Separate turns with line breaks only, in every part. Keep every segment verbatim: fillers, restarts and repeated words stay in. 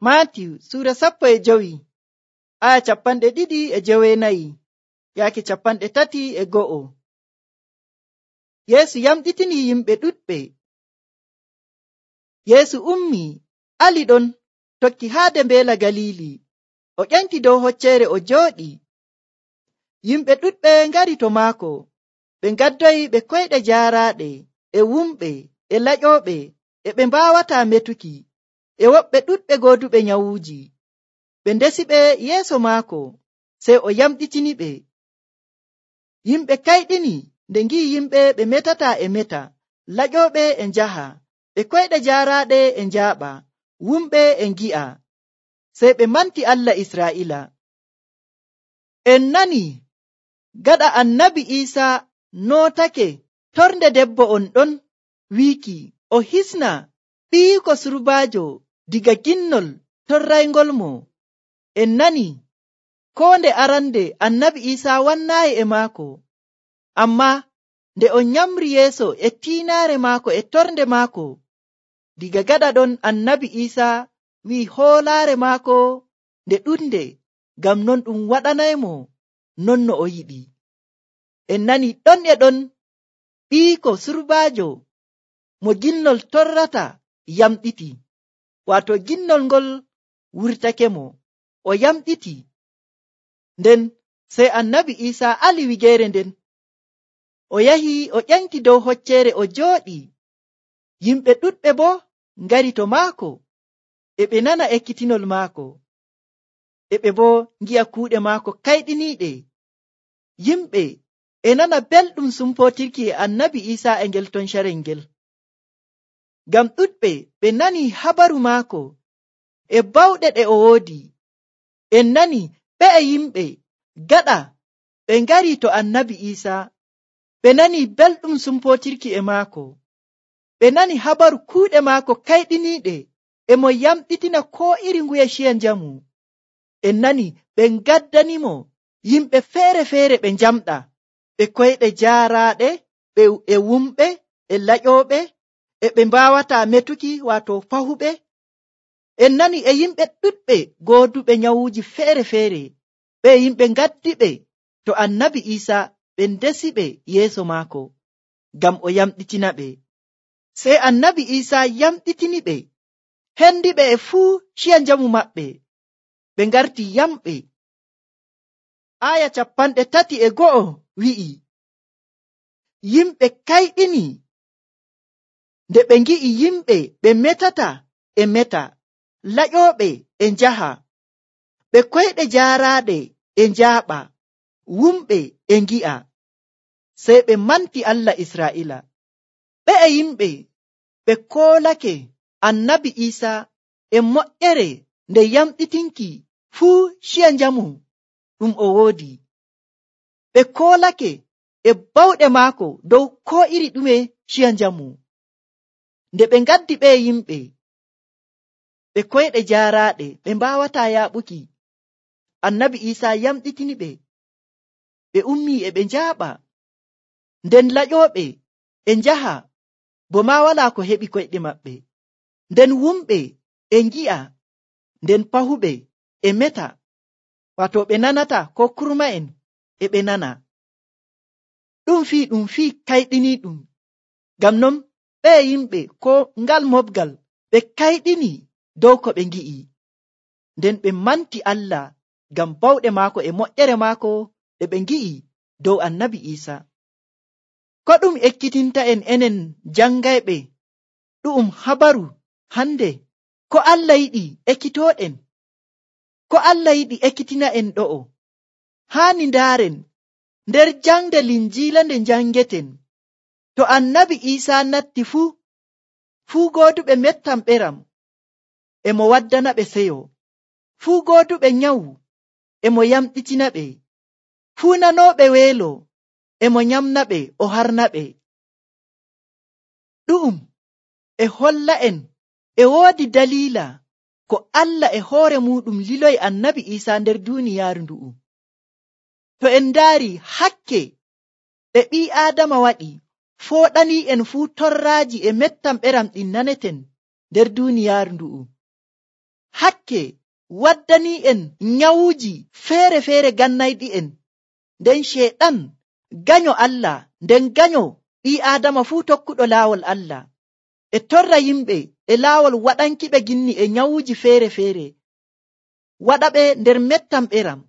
Maatiyu suura sappo e jowi aya capanɗe ɗiɗi e joweenayi yaake capanɗe tati e go'o. Yeesu yamɗitini yimɓe ɗuɗɓe. Yeesu ummi ali ɗon tokki haade mbeela Galili. O ƴenti dow hocceere o jooɗi. Yimɓe ɗuɗɓe ngari to maako. Ɓe ngaddoyi ɓe koyɗe jaaraaɗe e wumɓe e laƴooɓe e ɓe mbaawataa metuki e woɓɓe ɗuɗɓe gooduɓe nyawuuji. Ɓe ndesi ɓe yeeso maako, sey o yamɗitiniɓe. Yimɓe kayɗini nde ngi'i yimɓe ɓe metataa e meta, laƴooɓe e njaha, ɓe koyɗe jaaraaɗe e njaaɓa, wumɓe e ngi'a. Sey ɓe manti Allah Israa'iila. En nani gaɗa annabi Iisaa nootake torde debbo on ɗon wiiki o hisna ɓiiko surbaajo diga ginnol torrayngol mo. En nani koo nde arande annabi Iisaa wannaayi e maako, ammaa nde o nyamri yeeso e tiinaare maako e torde maako, diga gaɗa ɗon annabi Iisaa wi'i hoolaare maako nde ɗuɗnde, ngam non ɗum waɗanaymo non no o yiɗi. En nani ɗon e ɗon ɓiiko surbaajo mo ginnol torrata yamɗiti, waato ginnol ngol wurtake mo, o yamɗiti. Nden sey annabi Iisaa ali wigeere nden, o yahi o ƴanki dow hocceere o jooɗi. Yimɓe ɗuɗɓe boo ngari to maako, e ɓe nana ekkitinol maako, e ɓe boo ngi'a kuuɗe maako kayɗiniiɗe. Yimɓe e nana belɗum sumpootirki e annabi Iisaa e ngel ton carel ngel, ngam ɗuɗɓe ɓe nani habaru maako e bawɗe ɗe o woodi. En nani ɓe'e yimɓe gaɗa ɓe ngari to annabi Iisaa, ɓe nani belɗum sumpootirki e maako, ɓe nani habaru kuuɗe maako kayɗiniiɗe e mo yamɗitina koo iri nguye ciya njamu. En nani ɓe ngaddanimo yimɓe feere-feere ɓe njamɗa, ɓe koyɗe jaaraaɗe, ɓe e wumɓe e laƴooɓe e ɓe mbaawataa metuki waato fahuɓe. En nani e yimɓe ɗuɗɓe gooduɓe nyawuuji feere-feere, ɓe yimɓe ngaddiɓe to annabi Iisaa, ɓe ndesiɓe yeeso maako ngam o yamɗitina ɓe. Sey annabi Iisaa yamɗitiniɓe, hendiɓe e fuu ciya njamu maɓɓe, ɓe ngarti yamɓe. Aya capanɗe tati e go'o wi'i, yimɓe kayɗini nde ɓe ngi'i yimɓe ɓe metata e meta, laƴooɓe e njaha, ɓe koyɗe jaaraaɗe e njaaɓa, wumɓe e ngi'a. Sey ɓe manti Allah Israa'iila. Ɓe'e yimɓe ɓe koolake annabi Iisaa e moƴƴere nde yamɗitinki fuu ciya njamu ɗum o woodi. Ɓe koolake e bawɗe maako dow koo iri ɗume ciya njamu. Nde ɓe ngaddi ɓe yimɓe ɓe koyɗe jaaraaɗe ɓe mbaawataa yaaɓuki, annabi Iisaa yamɗitini ɓe, ɓe ummii e ɓe njaaɓa. Nden laƴooɓe e njaha bo maa walaa ko heɓi koyɗe maɓɓe. Nden wumɓe e ngi'a, nden pahuɓe e meta, waato ɓe nanata ko kurma'en e ɓe nana. Ɗum fii ɗum fii kayɗiniiɗum. Ngam non ɓe yimɓe ko ngal mobgal ɓe kayɗini dow ko ɓe ngi'i. Nden ɓe manti Allah ngam bawɗe maako e moƴƴere maako ɗe ɓe ngi'i dow annabi Iisaa. Ko ɗum ekkitinta en enen jangayɓe ɗu'um habaru hande, ko Allah yiɗi ekkitooɗen, ko Allah yiɗi ekkitina en ɗo'o. Haani ndaaren nder jangde Linjiila nde jangeten, to annabi Iisaa natti fuu, fuu gooduɓe mettam ɓeram e mo waddana ɓe seyo, fuu gooduɓe nyawu e mo yamɗitina ɓe, fuu nanooɓe weelo e mo nyamna ɓe o harna ɓe. Ɗu'um e holla en e woodi daliila ko Allah e hoore muɗum liloyi annabi Iisaa nder duuniyaaru ndu'u. To en ndaari hakke ɗe ɓii Aadama waɗi fooɗanii en fuu torraaji e mettam ɓeram ɗin naneten nder duuniyaaru ndu'u. hakke waddani en nyawuji feere feere gannayɗi en. Nden sheeɗan ganyo Allah, nden ganyo ɓii Aadama fuu tokkuɗo laawol Allah, e torra yimɓe e laawol waɗankiɓe ginni e nyawuji feere feere, waɗaɓe nder mettam ɓeram.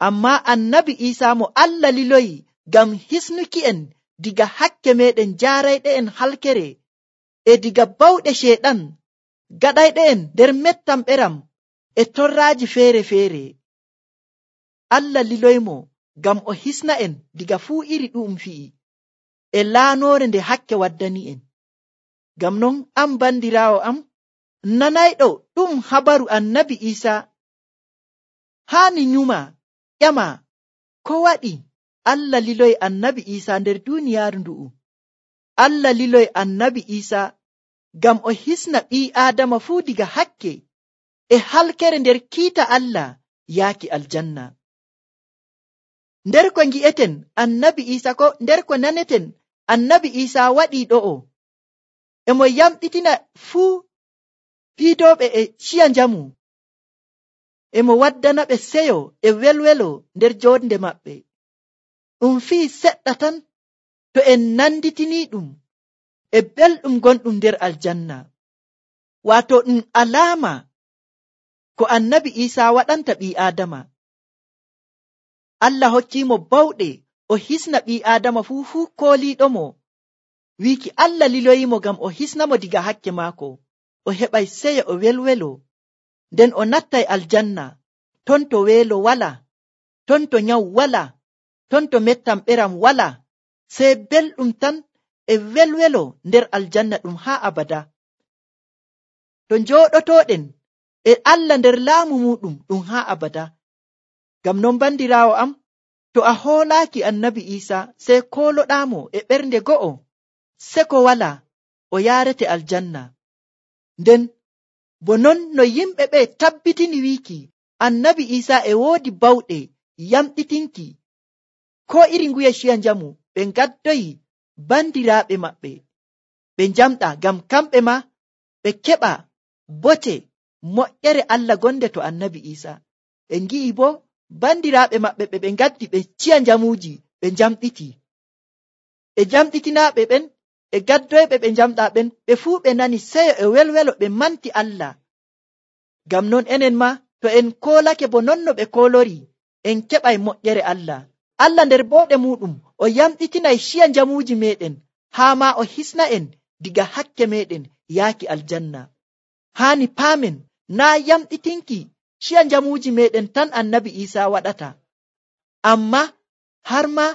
Amma annabi Iisaa mo Allah liloyi ngam hisnuki en diga hakke meɗen jaarayɗe en halkere e diga bawɗe sheeɗan gaɗayɗe en nder mettam ɓeram e torraaji feere feere. Allah liloymo ngam o hisna en diga fuu iri ɗu'um fi'i e laanoore nde hakke waddani en. Ngam non am bandiraawo am nanayɗo ɗum habaru annabi Iisaa, haani nyuma ƴama ko waɗi Allah liloyi annabi Iisaa nder duuniyaaru ndu'u. Allah liloyi annabi Iisaa ngam o hisna ɓii Aadama fuu diga hakke e halkere nder kiita Allah yaaki aljanna. Nder ko ngi'eten annabi Iisaa ko nder ko naneten annabi Iisaa waɗi ɗo'o, e mo yamɗitina fuu fiidooɓe e ciya njamu, e mo waddana ɓe seyo e welwelo nder joonde maɓɓe. Ɗum fii seɗɗa tan to en nanditini ɗum e belɗum gonɗum nder aljanna. Waato ɗum alaama ko annabi Iisaa waɗanta ɓii Aadama. Allah hokkiimo bawɗe o hisna ɓii Aadama fuu fuu kooliiɗomo, wiiki Allah liloyimo ngam o hisnamo diga hakke maako, o heɓay seyo o welwelo, nden o nattay aljanna, ton to weelo wala, ton to nyawu wala, ton to mettam ɓeram wala, sey belɗum tan e welwelo nder aljanna ɗum haa abada. To njooɗotoɗen e Allah nder laamu muɗum ɗum haa abada. Ngam non bandiraawo am, to a hoolaaki annabi Iisaa sey kooloɗaamo e ɓernde go'o, seko wala o yaarete aljanna. Nden bo non no yimɓe ɓe tabbitini wiiki annabi Iisaa e woodi bawɗe yamɗitinki ko iri nguye ciya njamu, ɓe ngaddoyi bandiraaɓe maɓɓe ɓe njamɗa ngam kamɓe ma ɓe keɓa bote moƴƴere Allah gonde to annabi Iisaa. Ɓe ngi'i bo bandiraaɓe maɓɓe ɓe ɓe ngaddi ɓe ciya njamuuji ɓe njamɗiti, ɓe jamɗitinaaɓe ɓen e gaddoyɓe ɓe njamɗa ɓen, ɓe fuu ɓe nani seyo e welwelo ɓe manti Allah. Ngam non enen ma to en koolake bo non no ɓe koolori, en keɓay moƴƴere Allah. Allah nder bawɗe muɗum o yamɗitinay ciya njamuuji meɗen, haa ma o hisna en diga hakke meɗen yaaki aljanna. Haani paamen naa yamɗitinki ciya njamuuji meɗen tan annabi Iisaa waɗata, amma har ma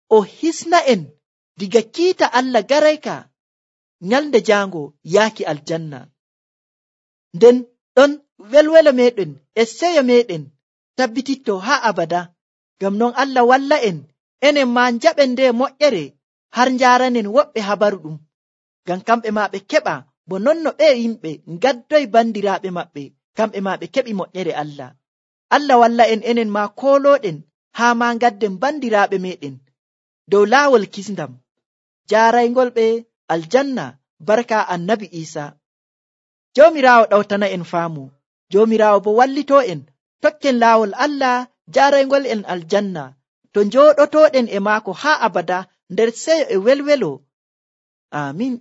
o hisna en diga kiita Allah garayka nyalde jaango yaaki aljanna. Nden ɗon welwelo meɗen e seyo meɗen tabbititto haa abada. Ngam non Allah walla en enen ma njaɓen nde moƴƴere har njaaranen woɓɓe habaru ɗum, ngam kamɓe ma ɓe keɓa bo non no ɓe yimɓe ngaddoy bandiraaɓe maɓɓe, kamɓe ma ɓe keɓi moƴƴere Allah. Allah walla en enen ma koolooɗen haa ma ngadden bandiraaɓe meɗen dow laawol kisndam jaaraygol ɓe aljanna barka annabi Iisaa. Joomiraawo ɗawtana en faamu, Joomiraawo bo wallito en tokken laawol Allah jaaraygol en aljanna, to njooɗotoɗen e maako haa abada nder seyo e welwelo. Amin.